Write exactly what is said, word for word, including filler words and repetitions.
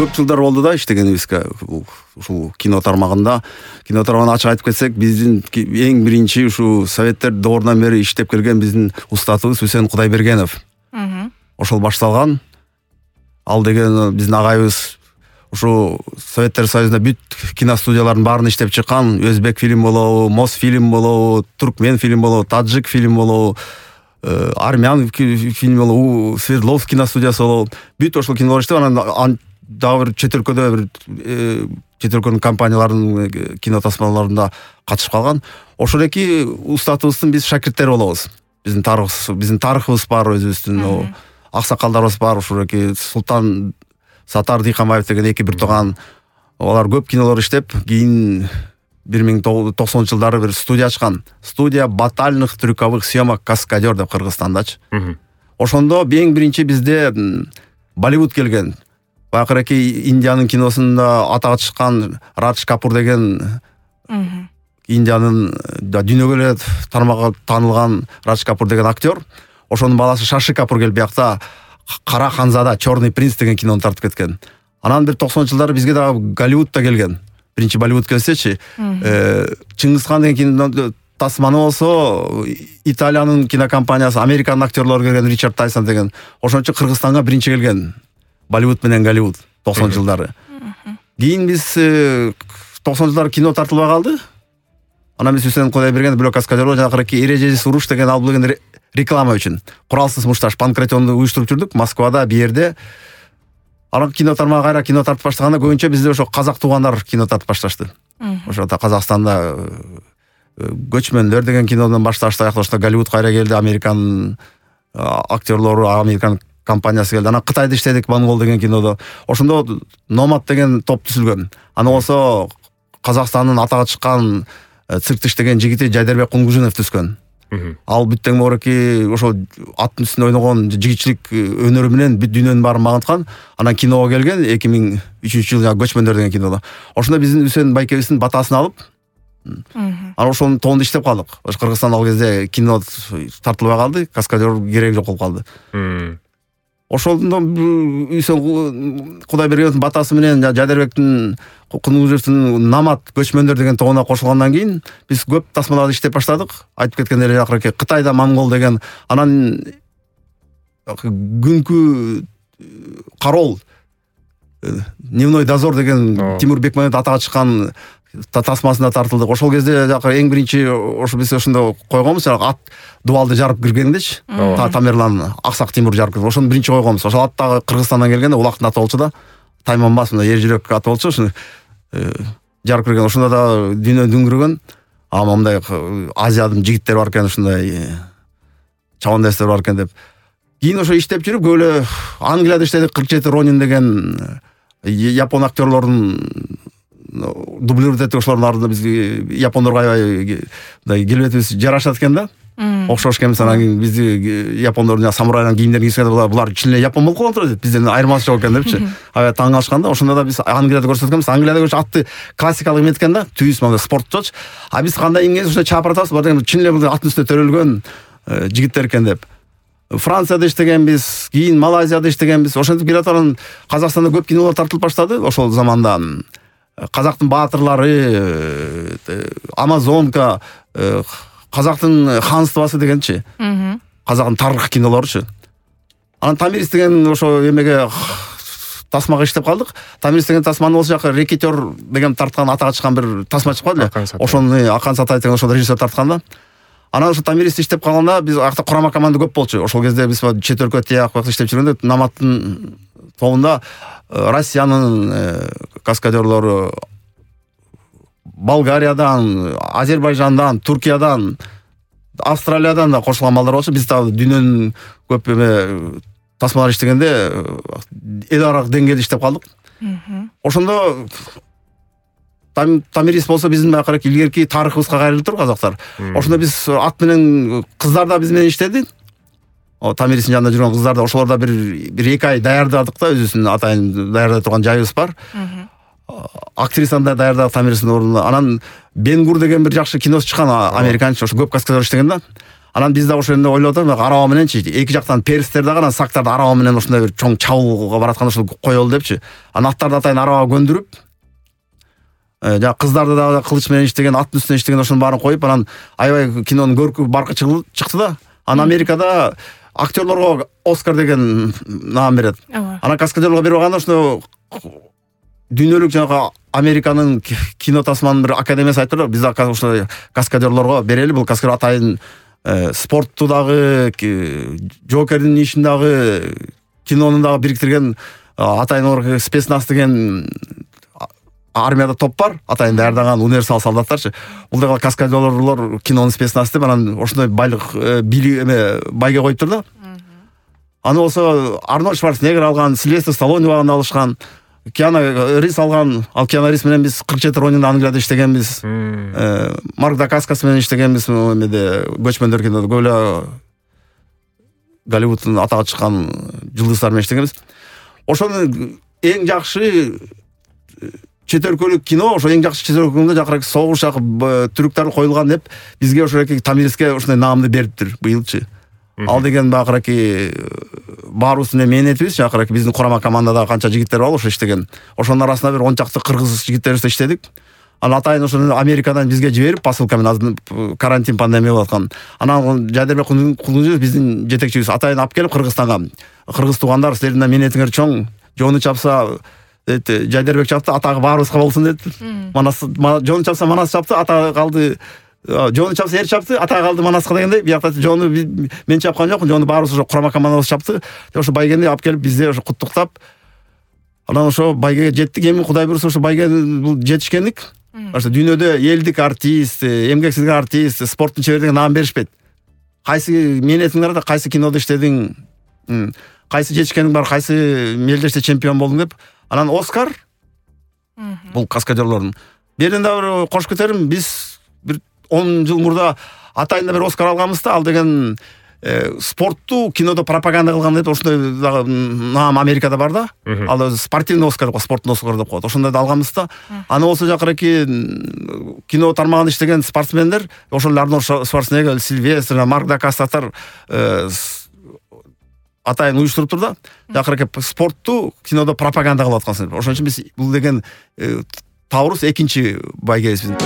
көп жылдар болду да иштегенибизге. Ушул кино тармагында, кино тармагын ачык айтып кетсек, биздин эң биринчи ушу советтер доорунан бери иштеп келген биздин устатыбыз Үсен Кудайбергенов. Ошол башталган. Ал деген биздин агайыбыз ушу Советтер Союзунда бүт киностудиялардын баарын иштеп чыккан. Өзбек фильм болобу, Мосфильм болобу, Туркмен фильм болобу, Таджик фильм болобу, армян фильм болобу, Свердловск киностудиясы болобу. Бүт ошол кинолор иштеп, анан дагы бир чет өлкөдө бир чет өлкөнүн компанияларынын кино тасмаларында катышып калган. Ошол эки устатыбыздын биз шакирттери болобуз. Биздин тарыхыбыз, биздин тарыхыбыз бар өзүбүздүн, аксакалдарыбыз бар. Ошол эки Султан Сатар Дыйканбаев деген эки бир тууган, алар көп кинолор иштеп, кийин бир миң токсонунчу жылдары бир студия ачкан. Студия батальных трюковых съемок Каскадер деп Кыргызстандачы. Ошондо эң биринчи бизде Болливуд келген. Байкыраки Индиянын киносунда атага чыккан Радж Капур деген Индиянын дүйнөгө эле тармакка таанылган Радж Капур деген актер. Ошонун баласы Шаши Капур келип биякта Кара Ханзада, Черный принц деген кинону тартып кеткен. Анан бир токсонунчу жылдары бизге дагы Голливудта келген. Биринчи Болливуд келсечи, Чыңгызхан деген кино тасманы болсо, Италиянын кинокомпаниясы, Американын актерлору келген, Ричард Тайсон деген. Ошончо Кыргызстанга биринчи келген. Болливуд менен Голливуд токсонунчу жылдары. Кийин биз токсонунчу жылдары кино тартылбай калды. Анан биз Үсен Кудайберген бирок Каскадерго жанакырки эрежесиз уруш деген ал деген реклама үчүн куралсыз мушташ панкратионду уюштуруп жүрдүк Москвада, бир жерде. Анан кино тармагы кайра кино тартып баштаганда көбүнчө бизде ошо казак туугандар кино тартып башташты. Ошо Казакстанда Көчмөндөр деген кинодон башташты, ошто Голливуд кайра келди, Американын актерлору, Американ компаниясы келди. Анан Кытайда иштедик, Монгол деген кинодо. Ошондо Номад деген топ түзүлгөн. Аны болсо Казакстандын атага чыккан цирктиш деген жигити Жайдарбек Кунгужунов түзгөн. Ал бүттең мореки ошо аттын үстүндө ойногон жигитчилик өнөрү менен бүт дүйнөнүн баарын магынткан. Анан киного келген эки миң үчүнчү жылы Көчмөндөр деген кинодо. Ошондо биздин Үсен байкебиздин батасын алып, анан ошонун тоонда иштеп калдык. Ошо Кыргызстан ал кезде кино тартылбай калды, Каскадер кереги жок болуп калды. Ошондо Үсен Кудайбергеновдун батасы менен Жайдарбектин Кунгужевдун Намат Көчмөндөр деген тоонуна кошулгандан кийин биз көп тасмаларда иштеп баштадык. Айтып кеткендей эле акыркы Кытайда Монгол деген, анан күнкү кароол Дневной дозор деген Тимур Бекмамбетов атага чыккан тасмасына тартылдык. Ошол кезде жакы эң биринчи ошо биз ошондо койгонбуз, ат дубалды жарып киргендечи. Тамерлан Аксак Тимур жарып кирген. Ошону биринчи койгонбуз. Ошол ат дагы Кыргызстандан келгенде улактын аты болчу да. Тайманбас, мындай эр жүрөк аты болчу. Ошону жарып кирген. Ошондо да дүйнө дүңгүрөгөн. А мындай Азиядын жигиттери бар экен, ушундай чабандастар бар экен деп. Кийин ошо иштеп жүрүп, көп эле Англияда иштедик. кырк жети Ронин деген япон актерлордун дублировать этип, ошолордун ардында бизге япондорго аябай мындай келбетибиз жарашат экен да. Окшош экенбиз. Анан кийин бизди япондордун самурайдын кийимдерин кийгизгенде булар чын эле япон болуп калган турат деп, бизден айырмасы жок экен депчи. Аябай таң калышкан да. Ошондо да биз Англияда көрсөткөнбүз. Англияда көрсө атты классикалык эмет экен да, түйүс мындай спортчочу. А биз кандай эмгебиз ушундай чапыр атабыз, бар деген чын эле аттын үстүнө төрөлгөн жигиттер экен деп. Францияда иштегенбиз, кийин Малайзияда иштегенбиз. Ошентип келаткан Казакстанда көп кинолор тартылып баштады ошол заманда. Казактын баатырлары, Амазонка, Казактын ханствасы дегенчи. Казактын тарых кинолоручу. Анан Тамирис деген ошо эмеге тасмага иштеп калдык. Тамирис деген тасманы болсо жакы Рекетер деген тарткан, атага чыккан бир тасма чыкпады эле. Ошону Акан Сатай деген ошол режиссер тарткан да. Анан ошо Тамирис иштеп калганда биз акта курама команда көп болчу. Ошол кезде биз чет өлкө тияк бакта иштеп жүргөндө Наматтын тобунда Россиянын каскадерлору, Болгариядан, Азербайжандан, Туркиядан, Австралиядан да кошулган балдар болчу. Биз дагы дүйнөнүн көп эме тасмалар иштегенде эл аралык деңгээлде иштеп калдык. Ошондо Тамирис болсо биздин акыркы илгерки тарыхыбызга кайрылып тур казактар. Ошондо биз ат менен кыздар да биз менен иштеди. О Тамиристин жанында жүргөн кыздар да, ошолор да бир бир эки ай даярдадык да, өзүбүздүн атайын даярдай турган жайыбыз бар. Актрисаны да даярдадык Тамиристин ордуна. Анан Бенгур деген бир жакшы киносу чыккан, американча, ошо көп каскадер иштеген да. Анан биз да ошол жерде ойлоп атабыз, араба мененчи эки жактан перстер дагы анан сактарды араба менен ушундай бир чоң чабуулга баратканда ушул коелу депчи. Анан аттарды атайын арабага көндүрүп, жана кыздарды дагы кылыч менен иштеген, аттын үстүнө иштеген ошонун баарын коюп, анан аябай кинонун көркү баркы чыкты да. Анан Америкада актерлорго Оскар деген наам берет. Анан каскадерлорго берип алганда ошондо дүйнөлүк жанагы Американын кино тасманын бир академиясы айтып биз ошо каскадерлорго берели, бул каскадер атайын спортту дагы, Жокердин ишин дагы, кинонун дагы бириктирген атайын спецназ деген армияда топ бар, атайын даярдаган универсал солдаттарчы. Бул дагы каскадерлор кинонун спецназ деп анан ошондой байлык били эме байга коюптур да. Аны болсо Арнольд Шварценеггер алган, Сильвестр Сталлоне убагында алышкан, Киану Ривз алган. Ал Киану Ривз менен биз кырк жети Ронинде Англияда иштегенбиз. Марк Дакаскас менен иштегенбиз эмеде Көчмөндөр кинодо. Көп эле Голливудтун атага чыккан жылдыздар менен иштегенбиз. Ошонун эң жакшы чет өлкөлүк кино, ошо эң жакшы чет өлкөлүктө жакырак согуш түрктөр коюлган деп бизге ошо Тамириске ошондой наамды бериптир быйылчы. Ал деген бакыраки баарыбыздын мээнетибиз, жакыраки биздин курама командада канча жигиттер бар ошо иштеген. Ошонун арасында бир он чакты кыргыз жигиттерибиз иштедик. Анан атайын ошону Америкадан бизге жиберип, посылка менен карантин пандемия болуп аткан. Анан Жайдарбек Кулунжиев биздин жетекчибиз атайын алып келип Кыргызстанга. Кыргыз туугандар, силердин мээнетиңер чоң. Жону чапса Жайдарбек чапты, атагы баарыбызга болсун деп. Манас жону чапса Манас чапты, атагы калды. Жону чапса эр чапты, атагы калды Манаска дегендей. Биякта жону мен чапкан жокмун, жону баарыбыз ошо курама командабыз чапты. Ошо байгени алып келип бизде ошо куттуктап. Анан ошо байгеге жеттик. Эми Кудай буйруса ошо байге бул жетишкендик. Ошо дүйнөдө элдик артист, эмгексиздик артист, спорттун чебери деген наам беришпейт. Кайсы мээнетиң бар да, кайсы кинодо иштедиң, кайсы жетишкениң бар, кайсы мелдеште чемпион болдуң деп. Анан Оскар бул каскадерлордун. Берин да бир кош көтөрүм, биз бир он жыл мурда атайын да бир Оскар алганбыз да, ал деген спортту кинодо пропаганда кылган деп ошондой дагы наам Америкада бар да. Ал спортивный Оскар, спорттун Оскар деп коет. Ошондой да алганбыз да. Аны болсо жакыраки кино тармагында иштеген спортсмендер, ошол Арнольд Шварценеггер, Сильвестр, Марк Дакастатар атайын уюштуруптур да. Жакыраки спортту кинодо пропаганда кылып аткансың. Ошон үчүн биз бул деген табырыбыз экинчи байгебиз биздин.